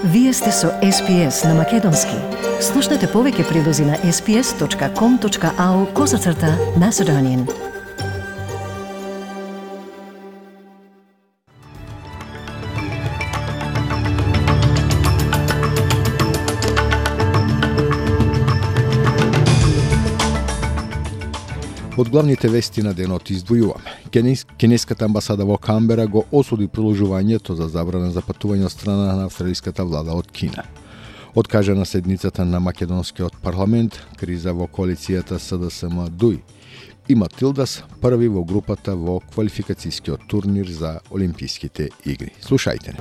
Вие сте со SPS на Македонски. Слушнете повеќе прилози на sps.com.au/Macedonian. Од главните вести на денот издвојуваме. Кинеската амбасада во Камбера го осуди продолжувањето за забрана за патување од страна на австралиската влада од Кина. Откажана седницата на македонскиот парламент, криза во коалицијата СДСМ-ДУИ и Матилдас први во групата во квалификацијскиот турнир за Олимписките игри. Слушајте не.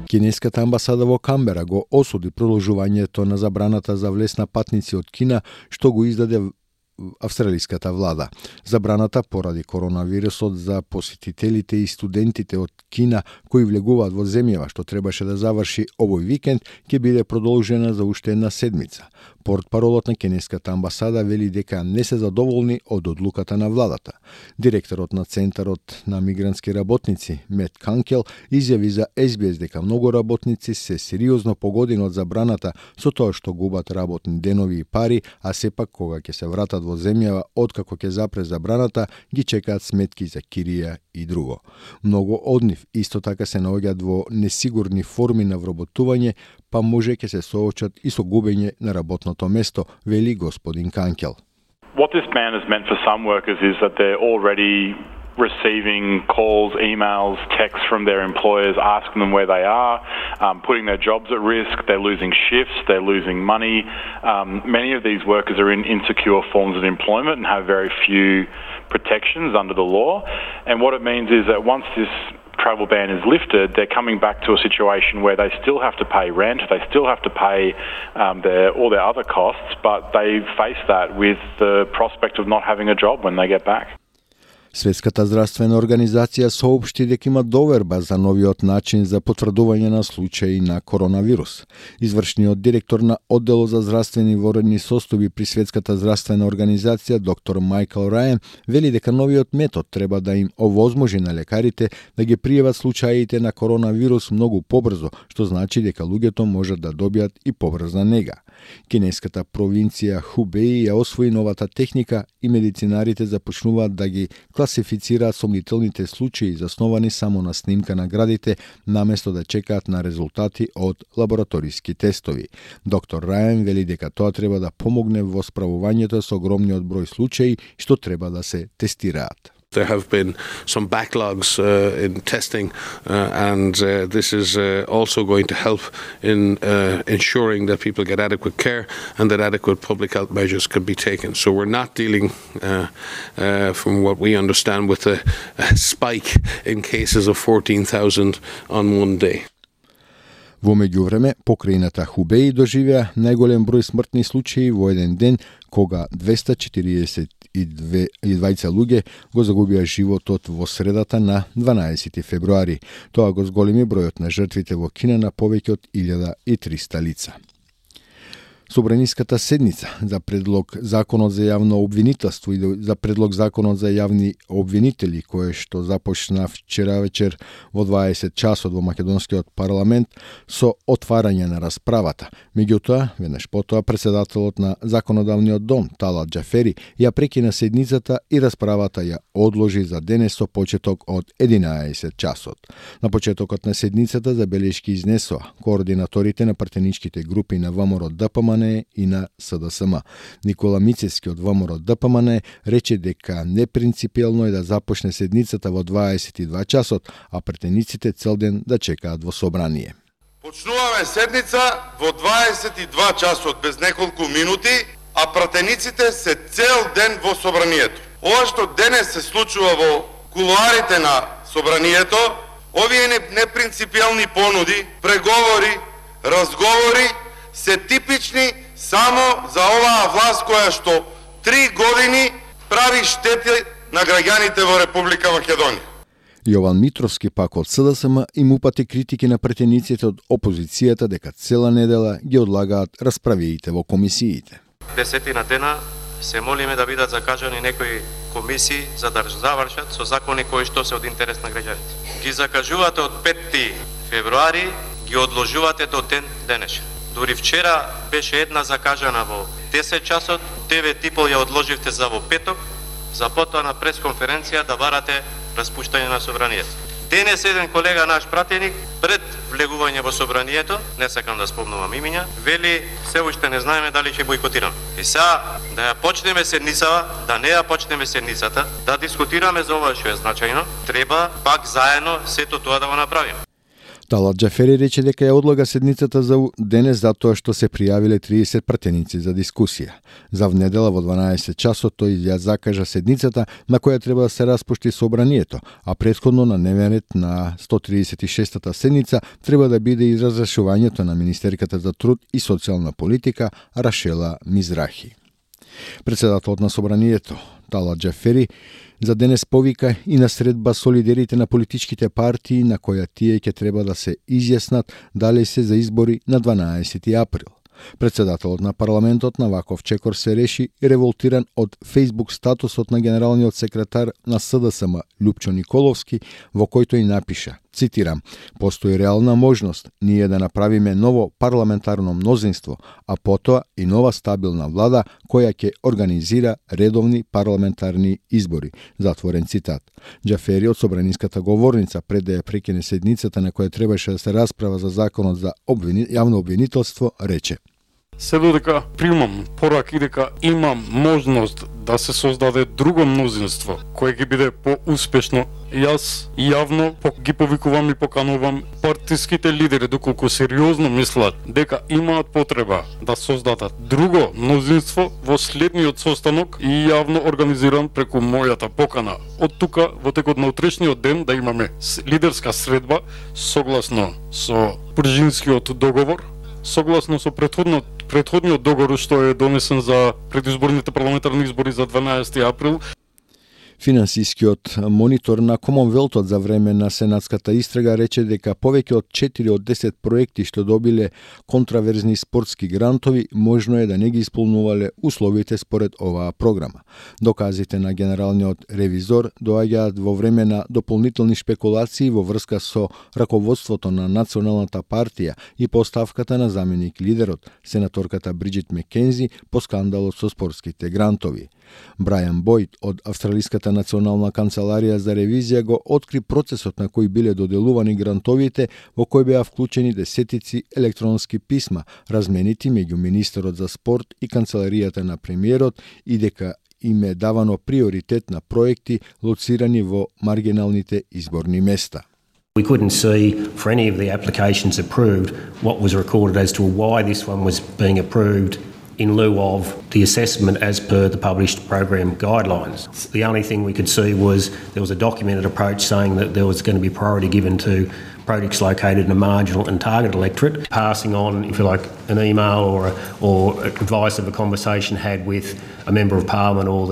Кинеската амбасада во Камбера го осуди продолжувањето на забраната за влез на патници од Кина што го издаде австралиската влада. Забраната поради коронавирусот за посетителите и студентите од Кина кои влегуваат во земјава што требаше да заврши овој викенд ќе биде продолжена за уште една седмица. Портпаролот на кинеската амбасада вели дека не се задоволни од одлуката на владата. Директорот на Центарот на мигрантски работници Мет Канкел изјави за SBS дека многу работници се сериозно погодени од забраната со тоа што губат работни денови и пари, а сепак кога ќе се вратат во земјава откако ќе запре забраната, ги чекаат сметки за кирија и друго. Многу од нив исто така се наоѓаат во несигурни форми на вработување, па може ќе се соочат и со губење на работното место, вели господин Канкел. What this ban has meant for some workers is that they're already receiving calls, emails, texts from their employers asking them where they are, putting their jobs at risk, they're losing shifts, they're losing money. Many of these workers are in insecure forms of employment and have very few protections under the law. And what it means is that once this travel ban is lifted, they're coming back to a situation where they still have to pay rent, they still have to pay all their other costs, but they face that with the prospect of not having a job when they get back. Светската здравствена организација соопшти дека има доверба за новиот начин за потврдување на случаи на коронавирус. Извршниот директор на оддел за здравствени воредни состојби при Светската здравствена организација доктор Майкл Рајен вели дека новиот метод треба да им овозможи на лекарите да ги пријават случаите на коронавирус многу побрзо, што значи дека луѓето можат да добијат и побрза нега. Кинеската провинција Хубеи ја освои новата техника и медицинарите започнуваат да ги класифицираат сомнителните случаи засновани само на снимка на градите, наместо да чекаат на резултати од лабораториски тестови. Доктор Рајан вели дека тоа треба да помогне во справувањето со огромниот број случаи што треба да се тестираат. There have been some backlogs in testing, and this is also going to help in ensuring that people get adequate care and that adequate public health measures can be taken. So we're not dealing, from what we understand, with a spike in cases of 14,000 on one day. Во меѓувреме, покрајната Хубеи доживеа најголем број смртни случаи во еден ден, кога 242 луѓе го загубија животот во средата на 12 февруари. Тоа го зголеми бројот на жртвите во Кина на повеќе од 1300 лица. Собраниската седница за предлог законот за јавно обвинителство и за предлог законот за јавни обвинители, кое што започна вчера вечер во 20 часот во македонскиот парламент со отварање на расправата. Меѓутоа, веднаш потоа претседателот на законодавниот дом Талат Џафери ја прекина седницата и расправата ја одложи за денес со почеток од 11 часот. На почетокот на седницата забелешки изнесоа координаторите на пратеничките групи на ВМРО ДПМН и на СДСМ. Никола Мицевски од ВМРО ДПМН рече дека непринципиелно е да започне седницата во 22 часот, а претениците цел ден да чекаат во собрание. Почнуваме седница во 22 часот без неколку минути, а пратениците се цел ден во собранието. Ова што денес се случува во кулуарите на собранието, овие непринципиелни понуди, преговори, разговори се типични само за оваа власт која што 3 години прави штети на граѓаните во Република Македонија. Јован Митровски пак од СДСМ им упати критики на претениците од опозицијата дека цела недела ги одлагаат расправиите во комисиите. Десетина дена се молиме да бидат закажани некои комисии за да завршат со закони кои што се од интерес на граѓаните. ги закажувате од 5 февруари, ги одложувате до ден денешен. Дури вчера беше една закажана во 10 часот, 9:30 ја одложивте за во петок, за потоа на пресконференција да барате распуштање на собранието. Денес еден колега наш пратеник пред влегување во собранието, не сакам да спомнувам имиња, вели се уште не знаеме дали ќе бојкотираме. И сега да ја почнеме седницава, да не ја почнеме седницата, да дискутираме за ова што е значајно, треба пак заедно сето тоа да го направиме. Талат Џафери рече дека ја одлага седницата за денес затоа што се пријавиле 30 пратеници за дискусија. За внедела во 12 часот тој ја закажа седницата на која треба да се распушти собранието, а претходно на дневен ред на 136-та седница треба да биде и разрешувањето на министерката за труд и социјална политика Рашела Мизрахи. Председателот на собранието Талат Џафери за денес повика и на средба со лидерите на политичките партии на која тие ќе треба да се изјаснат дали се за избори на 12 април. Председателот на парламентот Наваков Чекор се реши револтиран од Facebook статусот на генералниот секретар на СДСМ Љупчо Николовски, во којто и напиша, цитирам: "Постои реална можност ние да направиме ново парламентарно мнозинство, а потоа и нова стабилна влада која ќе организира редовни парламентарни избори." Затворен цитат. Џафери од собраниската говорница пред да ја прекине седницата на која требаше да се расправа за законот за јавно обвинителство рече: "Се додека примам пораки дека имам можност да се создаде друго мнозинство кое ќе биде поуспешно, јас јавно ги повикувам и поканувам партиските лидери доколку сериозно мислат дека имаат потреба да создадат друго мнозинство во следниот состанок и јавно организиран преку мојата покана. Од тука во текот на утрешниот ден да имаме лидерска средба согласно со Пржинскиот договор, согласно со претходниот договор што е донесен за предизборните парламентарни избори за 12 април. Финансискиот монитор на Комонвелтот за време на сенатската истрага рече дека повеќе од 4 од 10 проекти што добиле контраверзни спортски грантови можно е да не ги исполнувале условите според оваа програма. Доказите на генералниот ревизор доаѓаат во време на дополнителни шпекулации во врска со раководството на Националната партија и поставката на заменик лидерот, сенаторката Бриджит Мекензи, по скандалот со спортските грантови. Брајан Бојд од Австралиската национална канцеларија за ревизија го откри процесот на кој биле доделувани грантовите, во кој беа вклучени десетици електронски писма, разменити меѓу министерот за спорт и канцеларијата на премиерот, и дека им е давано приоритет на проекти лоцирани во маргиналните изборни места. We couldn't see for any of the applications approved what was recorded as to why this one was being approved in lieu of the assessment as per the published program guidelines. The only thing we could see was there was a documented approach saying that there was going to be priority given to projects located in a marginal and target electorate, passing on, if you like, an email or advice of a conversation had with a member of parliament or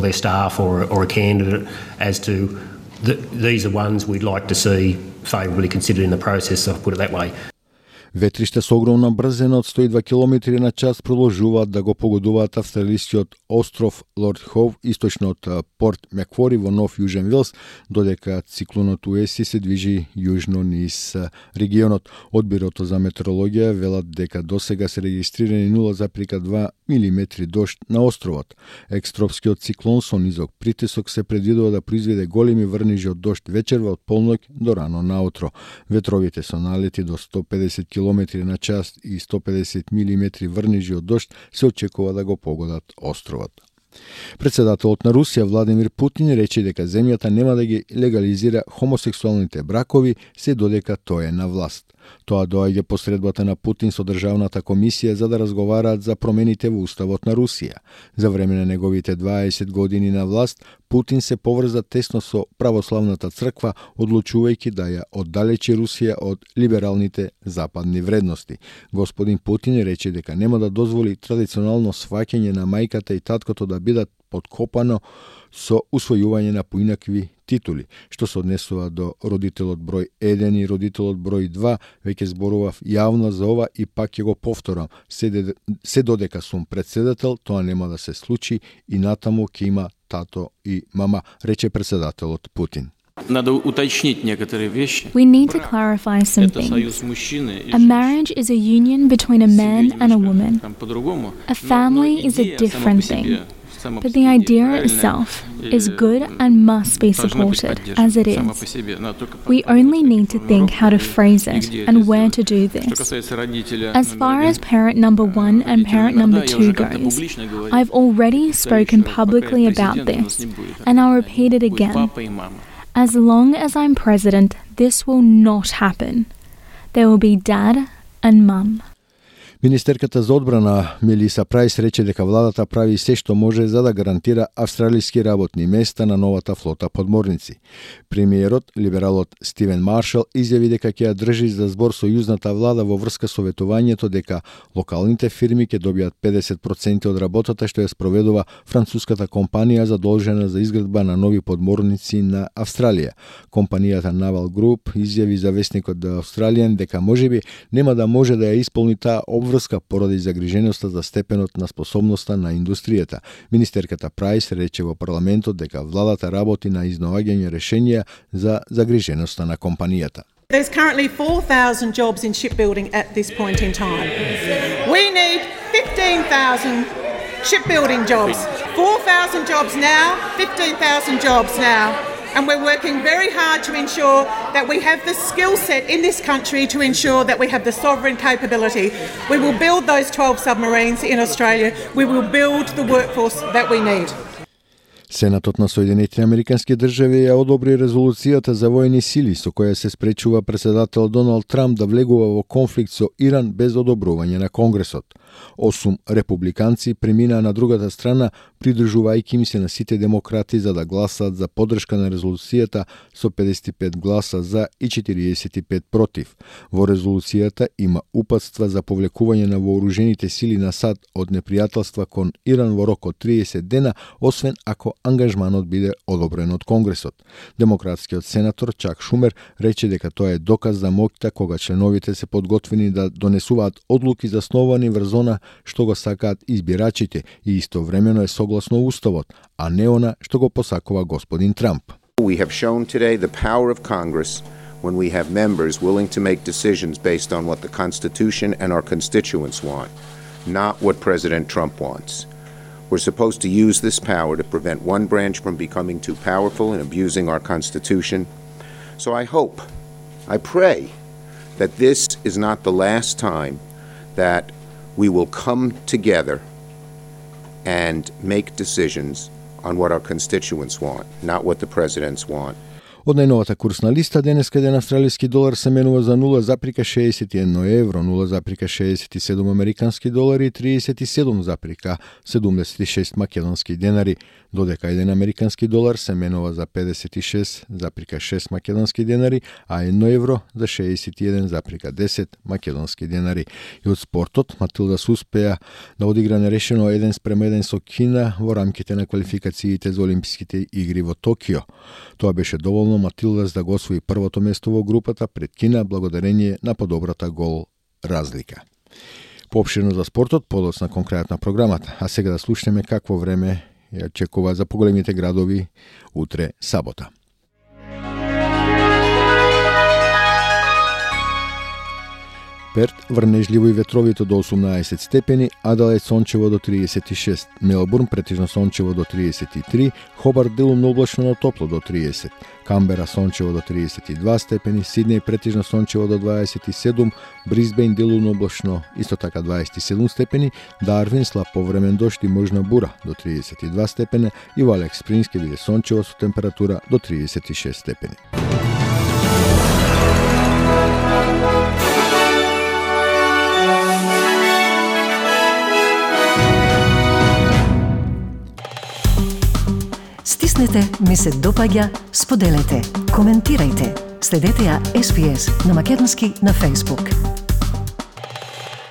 their staff or a candidate as to these are ones we'd like to see favourably considered in the process, so I'll put it that way. Ветриште со огромна брзина од 102 км на час продолжуваат да го погодуваат австралискиот остров Лорд Хоув, источно од Порт Маквари во Нов Јужен Велс, додека циклонот Уеси се движи јужно низ регионот. Од Бирото за метеорологија велат дека досега се регистрирани 0,2 милиметри дожд на островот. Екстропскиот циклон со низок притисок се предвидува да произведе големи врнежи од дожд вечерва од полноќ до рано наутро. Ветровите со налети до 150 км на час и 150 милиметри врнежи од дожд се очекува да го погодат островот. Председателот на Русија Владимир Путин рече дека земјата нема да ги легализира хомосексуалните бракови се додека тој е на власт. Тоа доаѓа по средбата на Путин со Државната комисија за да разговараат за промените во уставот на Русија. За време на неговите 20 години на власт, Путин се поврза тесно со православната црква, одлучувајќи да ја оддалечи Русија од либералните западни вредности. Господин Путин рече дека нема да дозволи традиционално сваќање на мајката и таткото да бидат подкопано со усвојување на поинакви титули, што се однесува до родителот број 1 и родителот број 2, веќе зборував јавно за ова и пак ќе го повторам, се додека сум председател, тоа нема да се случи и натаму ќе има тато и мама, рече председателот Путин. Надо уточнить некоторые вещи. We need to clarify some Это союз things. мужчины и A marriage is a union between a man and a woman. там по-другому. A family is a different thing. But the idea itself is good and must be supported as it is. We only need to think how to phrase it and where to do this. As far as parent number 1 and parent number 2 goes, I've already spoken publicly about this, and I'll repeat it again. As long as I'm president, this will not happen. There will be dad and mum. Министерката за одбрана Мелиса Прајс рече дека владата прави се што може за да гарантира австралиски работни места на новата флота подморници. Премиерот, либералот Стивен Маршал, изјави дека ќе ја држи за збор сојузната влада во врска со ветувањето дека локалните фирми ќе добијат 50% од работата што ја спроведува француската компанија задолжена за изградба на нови подморници на Австралија. Компанијата Naval Group изјави за весникот The Australian дека можеби нема да може да ја исполни таа врска поради загриженоста за степенот на способноста на индустријата. Министерката Прајс рече во парламентот дека владата работи на изнаоѓање решенија за загриженоста на компанијата. There's currently 4,000 jobs in shipbuilding at this point in time. We need 15,000 shipbuilding jobs. 4,000 jobs now, 15,000 jobs now. And we're working very hard to ensure that we have the skill set in this country to ensure that we have the sovereign capability. We will build those 12 submarines in Australia. We will build the workforce that we need. Сенатот на Соединетите Американски држави ја одобри резолуцијата за воени сили со која се спречува председател Доналд Трамп да влегува во конфликт со Иран без одобрување на Конгресот. 8 републиканци преминаа на другата страна, придржувајќи им се на сите демократи за да гласаат за поддршка на резолуцијата со 55 гласа за и 45 против. Во резолуцијата има упатства за повлекување на вооружените сили на САД од непријателства кон Иран во рок од 30 дена, освен ако ангажманот биде одобрен од Конгресот. Демократскиот сенатор Чак Шумер рече дека тоа е доказ за моќта кога членовите се подготвени да донесуваат одлуки засновани врз она што го сакаат избирачите и истовремено е согласно уставот, а не она што го посакува господин Трамп. We have shown today the power of Congress when we have members willing to make decisions based on what the Constitution and our constituents want, not what President Trump wants. We're supposed to use this power to prevent one branch from becoming too powerful and abusing our Constitution. So I hope, I pray, that this is not the last time that we will come together and make decisions on what our constituents want, not what the presidents want. Од најновата курсна листа, денеска еден австралиски долар се менува за 0,61 евро, 0,67 американски долари и 37,76 македонски денари, додека еден американски долар се менува за 56,6 македонски денари, а 1 евро за 61,10 македонски денари. И од спортот, Матилдас успеа да одигра нерешено 1:1 со Кина во рамките на квалификациите за Олимписките игри во Токио. Тоа беше доволно Матилдас да го освои првото место во групата пред Кина благодарение на подобрата гол разлика. Поопширно за спортот, подоцна конкретна програмата, а сега да слушнеме какво време ја очекува за поголемите градови утре сабота. Перт врнежливо и ветровито до 18 степени, Аделаид сончево до 36, Мелбурн претежно сончево до 33, Хобарт делумно облачно но топло до 30, Камбера сончево до 32 степени, Сиднеј претежно сончево до 27, Брисбејн делумно облачно исто така 27 степени, Дарвин слаб повремен дожд и можна бура до 32 степени и во Алекс Спрингс ќе биде сончево со температура до 36 степени. Стиснете, ми се допаѓа, споделете, коментирајте. Следете ја SPS на Македонски на Facebook.